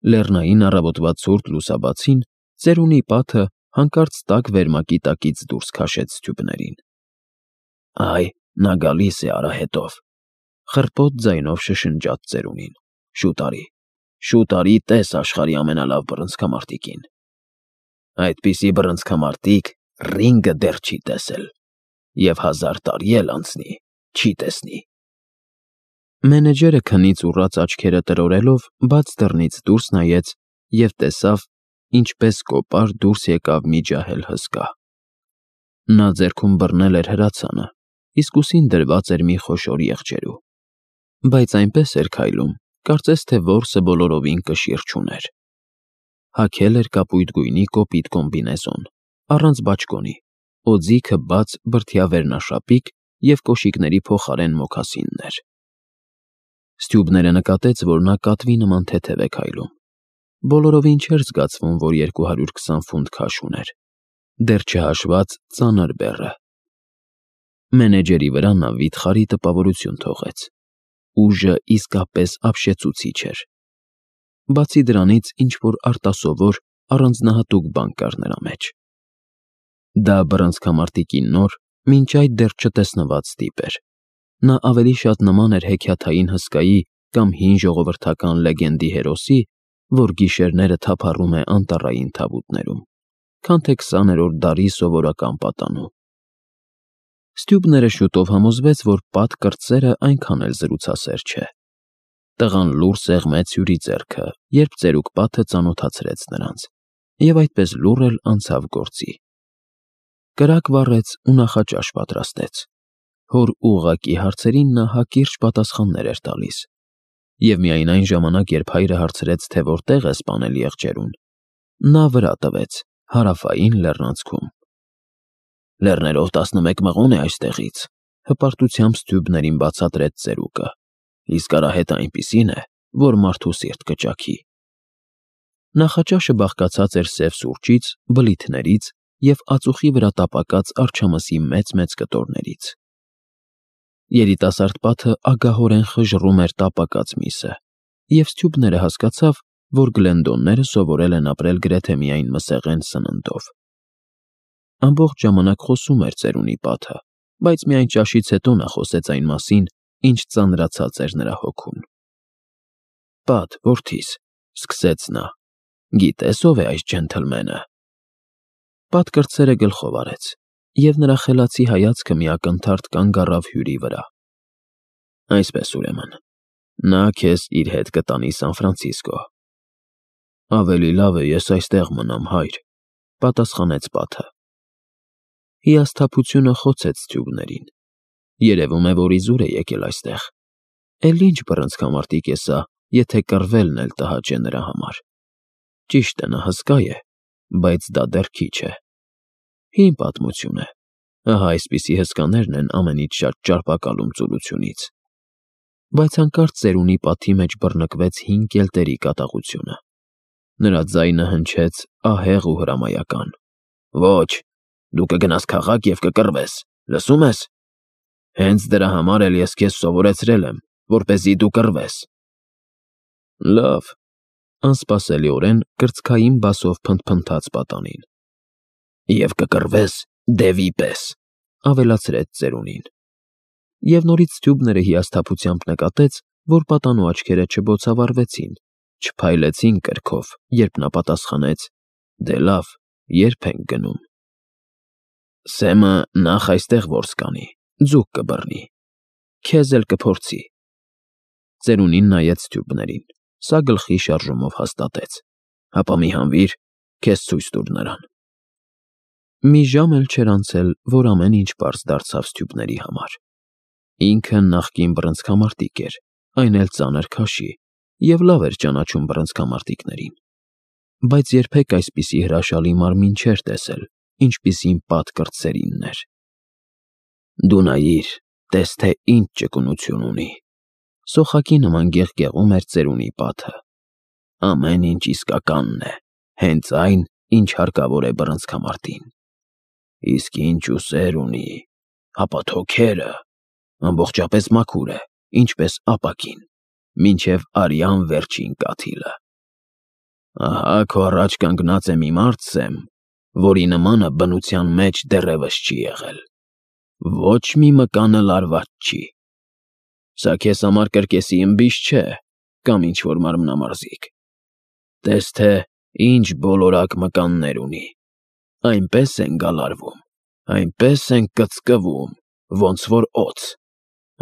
Լեռնային առավոտվա ցուրտ լուսաբացին ծերունի պատը հանկարծ տաք վերմակի տակից դուրս քաշեց սթյուբներին։ «Այ, նա գալիս է արահետով», խռպոտ ձայնով շշնջաց ծերունին։ Շուտ արի, տես աշխարհի ամենալավ բռնցքամարտիկին։ Այդպիսի բռնցքամարտիկ Ռինգը դեռ չի տեսել, և 1000 տարի էլ անցնի, չի տեսնի։ Մենեջերը քնից ուռած աչքերը տրորելով բաց դռնից դուրս նայեց և տեսավ, ինչպես կոպար դուրս եկավ մի ջահել հսկա։ Նա ձեռքում բռնել էր հրացանը, իսկ ուսին դրված էր մի խոշոր եղջերու, բայց այնպես էր քայլում, կարծես թե որսը բոլորովին կշիռ չուներ։ Հագել էր կապույտ գույնի կոպիտ կոմբինեզոն, առանց բաճկոնի, օձիքը բաց բրդյա վերնաշապիկ և կոշիկների փոխարեն մոքասիններ։ Ստյուբները նկատեց, որ նա կատվի նման թեթև է քայլում։ Բոլորովին չէր զգացվում, որ 220 ֆունտ քաշ ուներ, դեռ չհաշված ծանր բեռը։ Մենեջերի վրա նա վիթխարի տպավորություն թողեց։ Ուժը իսկապես ապշեցուցիչ էր։ Բացի դրանից ինչ-որ արտասովոր, առանձնահատուկ բան կար նրա մեջ։ Դա բռնցքամարտիկի նոր, մինչ այդ դեռ չտեսնված տիպ էր։ Նա ավելի շատ նման էր հեքիաթային հսկայի կամ հին ժողովրդական լեգենդի հերոսի, որ գիշերները թափառում է անտառային թավուտներում, քան թե 20-րդ դարի սովորական պատանու։ Ստյուբները շուտով համոզվեց, որ Պատ կրտսերը այնքան էլ զրուցասեր չէ։ Տղան լուռ սեղմեց հյուրի ձեռքը, երբ ծերուկ Պատը ծանոթացրեց նրանց, և այդպես լուռ էլ անցավ գործի։ Կրակ վառեց ու նախաճաշ պատրաստեց։ Հոր ուղղակի հարցերին նա հակիրճ պատասխաններ էր տալիս, և միայն այն ժամանակ, երբ հայրը հարցրեց, թե որտեղ է սպանել եղջերուն, նա վրա տվեց Հարավային Լեռնանցքում։ Լեռներով 11 մղոն է այստեղից, հպարտությամբ ստյուբներին բացատրեց ծերուկը, իսկ արահետը այնպիսին է, որ մարդու սիրտ կճաքի։ Նախաճաշը բաղկացած էր սև սուրճից, բլիթներից և ածուխի վրա տապակած արջամսի մեծ-մեծ կտորներից։ Երիտասարդ Պատը ագահորեն խժռում էր տապակած միսը, և ստյուբները հասկացավ, որ Գլենդոնները սովորել են ապրել գրեթե միայն մսեղեն սննդով։ Ամբողջ ժամանակ խոսում էր ծերունի Պատը, բայց միայն ճաշից հետո նա խոսեց այն մասին, ինչ ծանրացած էր նրա հոգուն։ Պատ, որդիս, սկսեց նա, գիտե՞ս ով է այս ջենթլմենը։ Պատ կրտսերը գլխով արեց, և նրա խելացի հայացքը մի ակնթարթ կանգ առավ հյուրի վրա։ Այսպես ուրեմն, նա քեզ իր հետ կտանի Սան Ֆրանցիսկո։ Ավելի լավ է ես այստեղ մնամ, հայր, պատասխանեց Պատը։ Հիասթափությունը խոցեց ստյուբներին։ Երևում է, որ իզուր է եկել այստեղ։ Էլ ինչ բռնցքամարտիկ է սա, եթե կռվելն էլ տհաճ է նրա համար։ Ճիշտ է, նա հսկա է, բայց դա դեռ քիչ է։ Հին պատմություն է։ Ահա այսպիսի հսկաներն են ամենից շատ ճարպակալում ծուլությունից։ Բայց հանկարծ ծերունի պատի մեջ բռնկվեց հին կելտերի կատաղությունը։ Նրա ձայնը հնչեց ահեղ ու հրամայական։ Ոչ, դու կգնաս քաղաք և կկռվես, լսում ես։ Հենց դրա համար էլ ես քեզ սովորեցրել եմ, որպեսզի դու կռվես։ Լավ, անսպասելիորեն կրծքային բասով փնթփնթաց պատանին։ Եվ կկռվես դևի պես, ավելացրեց ծերունին։ Եվ նորից ստյուբները հիասթափությամբ նկատեց, որ պատանու աչքերը չբոցավառվեցին, չփայլեցին կրքով, երբ նա պատասխանեց. Դե լավ, ե՞րբ ենք գնում։ Սեմը նախ այստեղ որս կանի, ձուկ կբռնի, քեզ էլ կփորձի։ Ծերունին նայեց ստյուբներին, սա գլխի շարժումով հաստատեց։ Հապա մի հանվիր, քեզ ցույց տուր նրան։ Մի ժամ էլ չէր անցել, որ ամեն ինչ պարզ դարձավ ստյուբների համար։ Ինքը նախկին բռնցքամարտիկ էր, այն էլ ծանր քաշի, և լավ էր ճանաչում բռնցքամարտիկներին։ Բայց երբեք այսպիսի հրաշալի մարմին չէր տեսել, ինչպիսին Պատ կրտսերինն էր։ Դու նայիր, տես թե ինչ ճկունություն ունի։ Սոխակի նման գեղգեղում էր ծերունի Պատը։ Ամեն ինչ իսկականն է, հենց այն, ինչ հարկավոր է բռնցքամարտին։ Իսկ ինչ ուսեր ունի, հապա թոքերը, ամբողջապես մաքուր է, ինչպես ապակին, մինչև արյան վերջին կաթիլը։ Ահա քո առաջ կանգնած է մի մարդ, Սեմ, որի նմանը բնության մեջ դեռևս չի եղել։ Ոչ մի մկանը լարված չի։ Սա քեզ համար կրկեսի ըմբիշ չէ, կամ ինչ-որ մարմնամարզիկ։ Տես թե ինչ բոլորակ մկաններ ունի։ Այնպես են գալարվում, այնպես են կծկվում, ոնց որ օձ։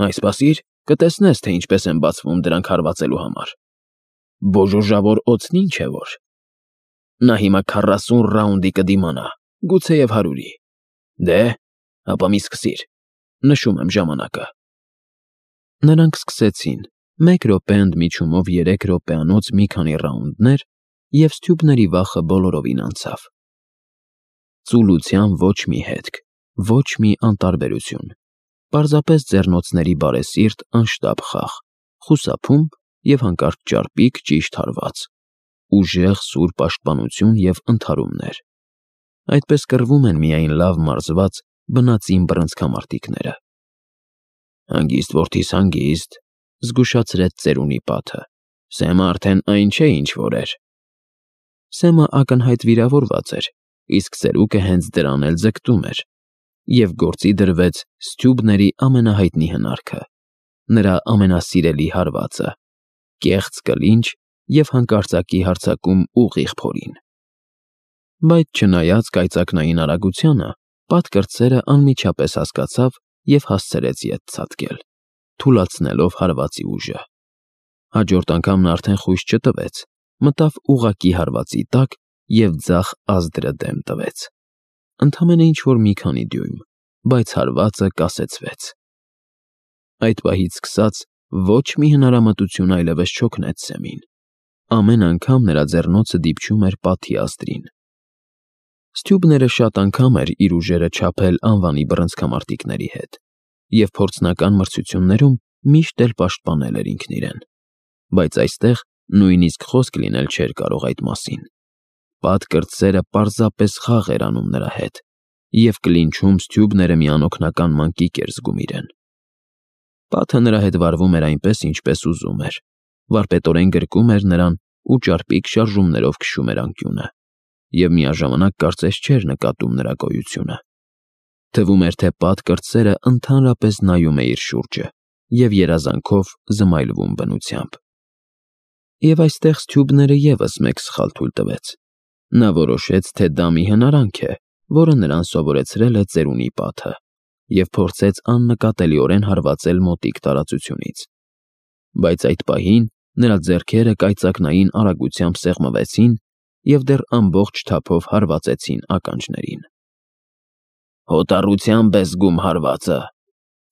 Այն սպասիր, կտեսնես, թե ինչպես են բացվում դրանք հարվածելու համար։ Բոժոժավոր օձն ինչ է որ։ Նա հիմա 40 ռաունդի կդիմանա, գուցեև 100-ի։ Դե, ապա մի սկսիր, նշում եմ ժամանակը։ Նրանք սկսեցին, 1 րոպե ընդմիջումով 3 րոպեանոց մի քանի ռաունդներ, և Ստյուբների վախը բոլորովին անցավ։ Ծուլության ոչ մի հետք, ոչ մի անտարբերություն, պարզապես ձեռնոցների բարեսիրտ անշտապ խաղ, խուսափում և հանկարծ ճարպիկ ճիշտ հարված, ուժեղ սուր պաշտպանություն և ընդհարումներ։ Այդպես կռվում են միայն լավ մարզված բնածին բռնցքամարտիկները։ Հանգիստ, որդիս, հանգիստ, զգուշացրեց ծերունի պատը։ Սեմը արդեն այն չէ, ինչ որ էր։ Սեմը ակնհայտ վիրավորված էր, իսկ ծերուկը հենց դրան էլ ձգտում էր, և գործի դրվեց Ստյուբների ամենահայտնի հնարքը, նրա ամենասիրելի հարվածը՝ կեղծ կլինչ և հանկարծակի հարձակում ուղիղ փորին։ Բայց չնայած կայծակնային արագությանը, պատկրտսերը անմիջապես հասկացավ և հասցրեց ետ ցատկել, թուլացնելով հարվածի ուժը։ Հաջորդ անգամ նա արդեն խույս չտվեց, մտավ ուղղակի հարվածի տակ և ձախ ազդրը դեմ տվեց։ Ընդամենը ինչ-որ մի քանի դյույմ, բայց հարվածը կասեցվեց։ Այդ պահից սկսած ոչ մի հնարամտություն այլևս չօգնեց Սեմին։ Ամեն անգամ նրա ձեռնոցը դիպչում էր պատի ազդրին։ Ստյուբները շատ անգամ էր իր ուժերը չափել անվանի բռնցքամարտիկների հետ, և փորձնական մրցություններում միշտ էլ պաշտպանել էր ինքն իրեն։ Բայց այստեղ նույնիսկ խոսք լինել չէր կարող այդ մասին։ Պատկրտսերը պարզապես խաղ էր անում նրա հետ, և կլինչում Ստյուբները մի անօգնական մանկիկ էր զգում իրեն։ Պատը նրա հետ վարվում էր այնպես, ինչպես ուզում էր, վարպետորեն գրկում էր նրան ու ճարպիկ շարժումներով քշում էր անկյունը, և միաժամանակ կարծես չէր նկատում նրա գոյությունը։ Թվում էր, թե պատկրտսերը ընդհանրապես նայում է իր շուրջը և երազանքով զմայլվում բնությամբ։ Եվ այստեղ Ստյուբները ևս մեկ սխալ թույլ տվեց։ Նա որոշեց, թե դա մի հնարանք է, որը նրան սովորեցրել է ծերունի պատը, և փորձեց աննկատելիորեն հարվածել մոտիկ տարածությունից։ Բայց այդ պահին նրա ձեռքերը կայծակնային արագությամբ սեղմվեցին և դեռ ամբողջ թափով հարվածեցին ականջներին։ «Հոտառությամբ է զգում հարվածը»,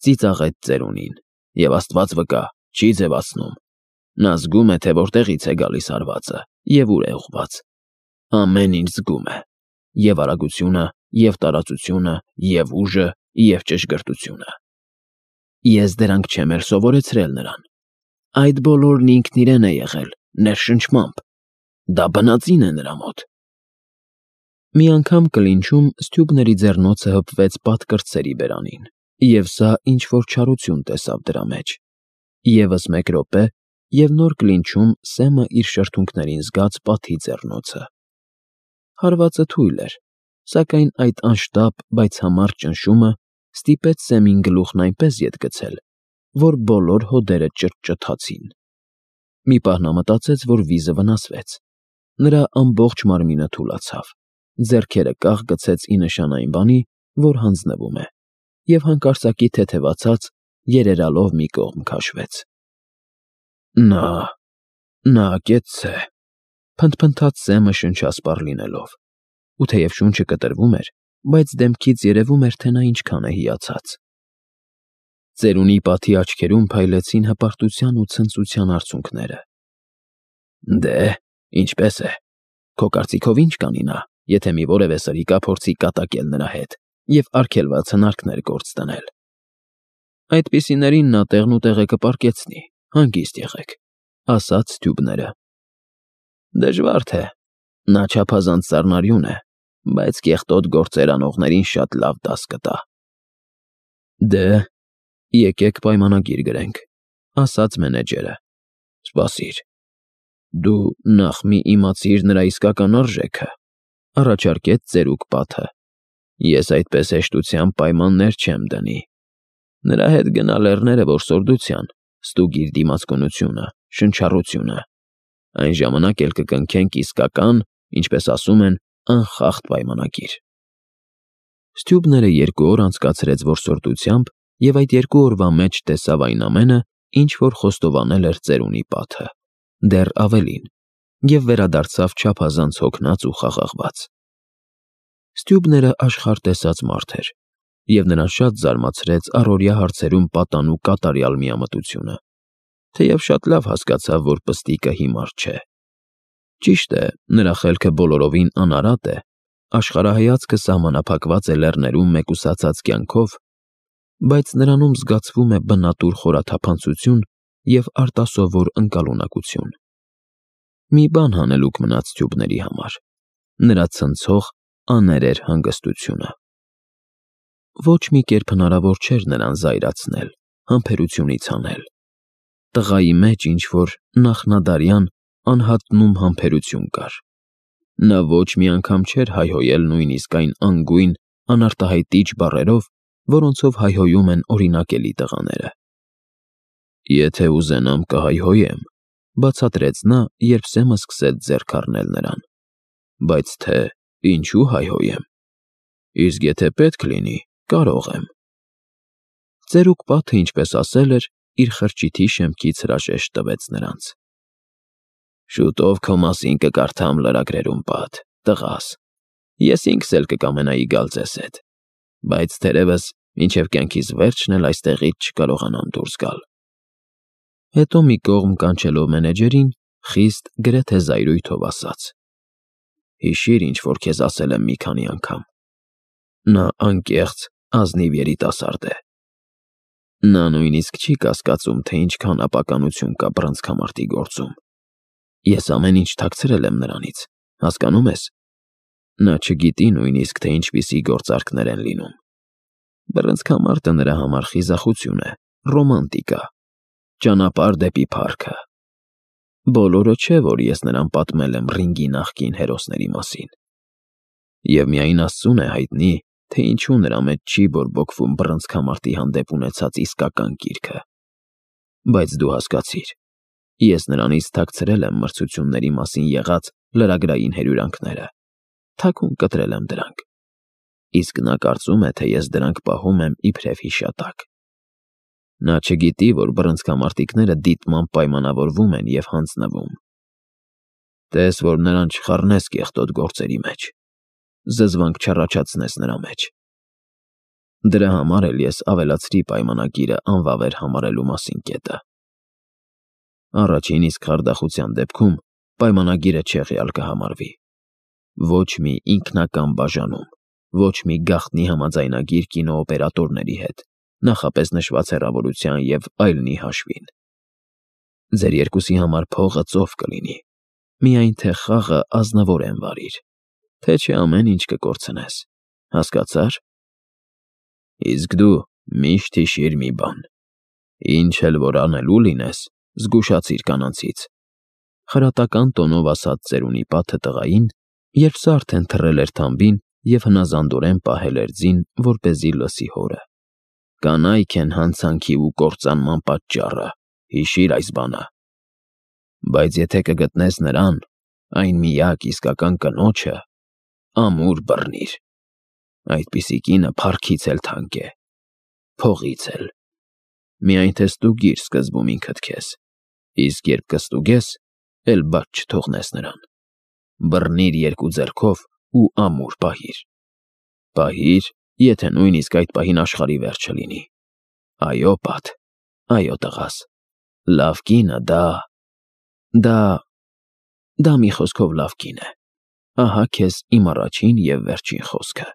ծիծաղեց ծերունին, և Աստված վկա, չի ձևացնում։ Նա զգում է, թե որտեղից է գալիս հարվածը և ուր է ուղղված։ Ամեն ինչ զգում է՝ և արագությունը, և տարածությունը, և ուժը, և ճշգրտությունը։ Ես դրանք չեմ էլ սովորեցրել նրան։ Այդ բոլորն ինքն իրեն է եղել, ներշնչմամբ։ Դա բնածին է նրա մոտ։ Մի անգամ կլինչում Ստյուբների ձեռնոցը հպվեց պատկրտսերի բերանին, և սա ինչ-որ չարություն տեսավ դրա մեջ։ Եվս 1 րոպե, և նոր կլինչում Սեմը իր շրթունքներին զգաց պատի ձեռնոցը։ Հարվածը թույլ էր, սակայն այդ անշտապ, բայց համառ ճնշումը ստիպեց Սեմին գլուխն այնպես ետ գցել, որ բոլոր հոդերը ճտճթացին։ Մի պահ նա մտածեց, որ վիզը վնասվեց։ Նրա ամբողջ մարմինը թուլացավ, ձեռքերը կախ գցեց ի նշան այն բանի, որ հանձնվում է, և հանկարծակի թեթևացած, երերալով մի կողմ քաշվեց։ Նա ակեցցե, փնթփնթաց Սեմը շնչասպառ լինելով, ու թեև շունչը կտրվում էր, բայց դեմքից երևում էր, թե նա ինչքան է հիացած։ Ծերունի պատի աչքերում փայլեցին հպարտության ու ցնծության արցունքները։ Դե, ինչպե՞ս է։ Քո կարծիքով ինչ կանի նա, եթե մի որևէ սրիկա փորձի կատակել նրա հետ և արգելված հնարքներ գործ դնել։ Այդպիսիներին նա տեղնուտեղը կպառկեցնի, հանգիստ եղեք, ասաց Ստյուբները։ Դժվար թե, նա չափազանց սառնարյուն է, բայց կեղտոտ գործեր անողներին շատ լավ դաս կտա։ Դե, եկեք պայմանագիր գրենք, ասաց մենեջերը։ Սպասիր։ Դու նախ մի իմացիր նրա իսկական արժեքը, առաջարկեց ծերուկ պատը։ Ես այդպես հեշտությամբ պայմաններ չեմ դնի։ Նրա հետ գնա լեռները որսորդության, ստուգիր դիմացկունությունը, շնչառությունը։ Այն ժամանակ էլ կկնքենք իսկական, ինչպես ասում են, անխախտ պայմանագիր։ Ստյուբները 2 օր անցկացրեց որսորդությամբ և այդ 2 օրվա մեջ տեսավ այն ամենը, ինչ որ խոստովանել էր ծերունի պատը, դեռ ավելին, և վերադարձավ չափազանց հոգնած ու խաղաղված։ Ստյուբները աշխարհ տեսած մարդ էր, և նրան շատ զարմացրեց առօրյա հարցերում պատանու կատարյալ միամտությունը, թեև շատ լավ հասկացավ, որ պստիկը հիմար չէ։ Ճիշտ է, նրա խելքը բոլորովին անարատ է, աշխարհայացքը սահմանափակված է լեռներում մեկուսացած կյանքով, բայց նրանում զգացվում է բնատուր խորաթափանցություն և արտասովոր ընկալունակություն։ Մի բան հանելուկ մնաց ստյուբների համար՝ նրա ցնցող, աներեր հանգստությունը։ Ոչ մի կերպ հնարավոր չէր նրան զայրացնել, համբերությունից հանել։ Տղայի մեջ ինչ-որ նախնադարյան, անհատնում համբերություն կար։ Նա ոչ մի անգամ չէր հայհոյել նույնիսկ այն անգույն, անարտահայտիչ բառերով, որոնցով հայհոյում են օրինակելի տղաները։ «Եթե ուզենամ, կհայհոյեմ», բացատրեց նա, երբ Սեմը սկսեց ձեռք առնել նրան։ «Բայց թե ինչու հայհոյեմ։ Իսկ եթե պետք լինի, կարող եմ»։ Ծերուկ պատը, ինչպես ասել էր, իր խրճիթի շեմքից հրաժեշտ տվեց նրանց։ «Շուտով քո մասին կկարդամ լրագրերում, պատ, տղաս։ Ես ինքս էլ կկամենայի գալ ձեզ հետ, բայց թերևս մինչև կյանքիս վերջն էլ այստեղից չկարողանամ դուրս գալ»։ Հետո մի կողմ կանչելով մենեջերին, խիստ, գրեթե զայրույթով ասաց. «Հիշիր, ինչ որ քեզ ասել եմ մի քանի անգամ. նա անկեղծ, ազնիվ երիտասարդ է։ Նա նույնիսկ չի կասկածում, թե ինչքան ապականություն կա բռնցքամարտի գործում։ Ես ամեն ինչ թաքցրել եմ նրանից, հասկանում ես։ Նա չգիտի նույնիսկ, թե ինչպիսի գործարքներ են լինում։ Բռնցքամարտը նրա համար խիզախություն է, ռոմանտիկա, ճանապարհ դեպի փառքը։ Բոլորը չէ, որ ես նրան պատմել եմ ռինգի նախկին հերոսների մասին։ Եվ միայն Աստծուն է հայտնի, թե ինչու նրա մեջ չի բորբոքվում բռնցքամարտի հանդեպ ունեցած իսկական կիրքը։ Բայց դու հասկացիր, ես նրանից թաքցրել եմ մրցությունների մասին եղած լրագրային հրյուրանքները, թաքուն կտրել եմ դրանք, իսկ նա կարծում է, թե ես դրանք պահում եմ իբրև հիշատակ։ Նա չգիտի, որ բռնցքամարտիկները դիտմամբ պայմանավորվում են և հանձնվում։ Տես, որ նրան չխառնես կեղտոտ գործերի մեջ, զզվանք չառաջացնես նրա մեջ։ Դրա համար էլ ես ավելացրի պայմանագիրը անվավեր համարելու մասին կետը։ Առաջին իսկ խարդախության դեպքում պայմանագիրը չեղյալ կհամարվի։ Ոչ մի ինքնական բաժանում, ոչ մի գաղտնի համաձայնագիր կինոօպերատորների հետ, նախապես նշված հեռավորության և այլնի հաշվին։ Ձեր երկուսի համար փողը ծով կլինի, միայն թե խաղը ազնվորեն վարիր, թե չէ ամեն ինչ կկորցնես, հասկացա՞ր։ Իսկ դու միշտ հիշիր մի բան. ինչ էլ որ անելու լինես, զգուշացիր կանանցից, խրատական տոնով ասաց ծերունի պատը տղային, երբ սա արդեն թռել էր թամբին և հնազանդորեն պահել էր ձին, որպեսզի լսի հորը։ Կանայք են հանցանքի ու կործանման պատճառը, հիշիր այս բանը։ Բայց եթե կգտնես նրան, այն միակ իսկական կնոջը, ամուր բռնիր։ Այդպիսի կինը փառքից էլ թանկ է, փողից էլ։ Միայն թե ստուգիր սկզբում ինքդ քեզ, իսկ երբ կստուգես, էլ բաց չթողնես նրան։ Բռնիր 2 ձեռքով ու ամուր պահիր։ Պահիր, եթե նույնիսկ այդ պահին աշխարհի վերջը լինի։ Այո, պատ, այո, տղաս, լավ կինը դա մի խոսքով լավ կին է։ Ահա քեզ իմ առաջին և վերջին խոսքը։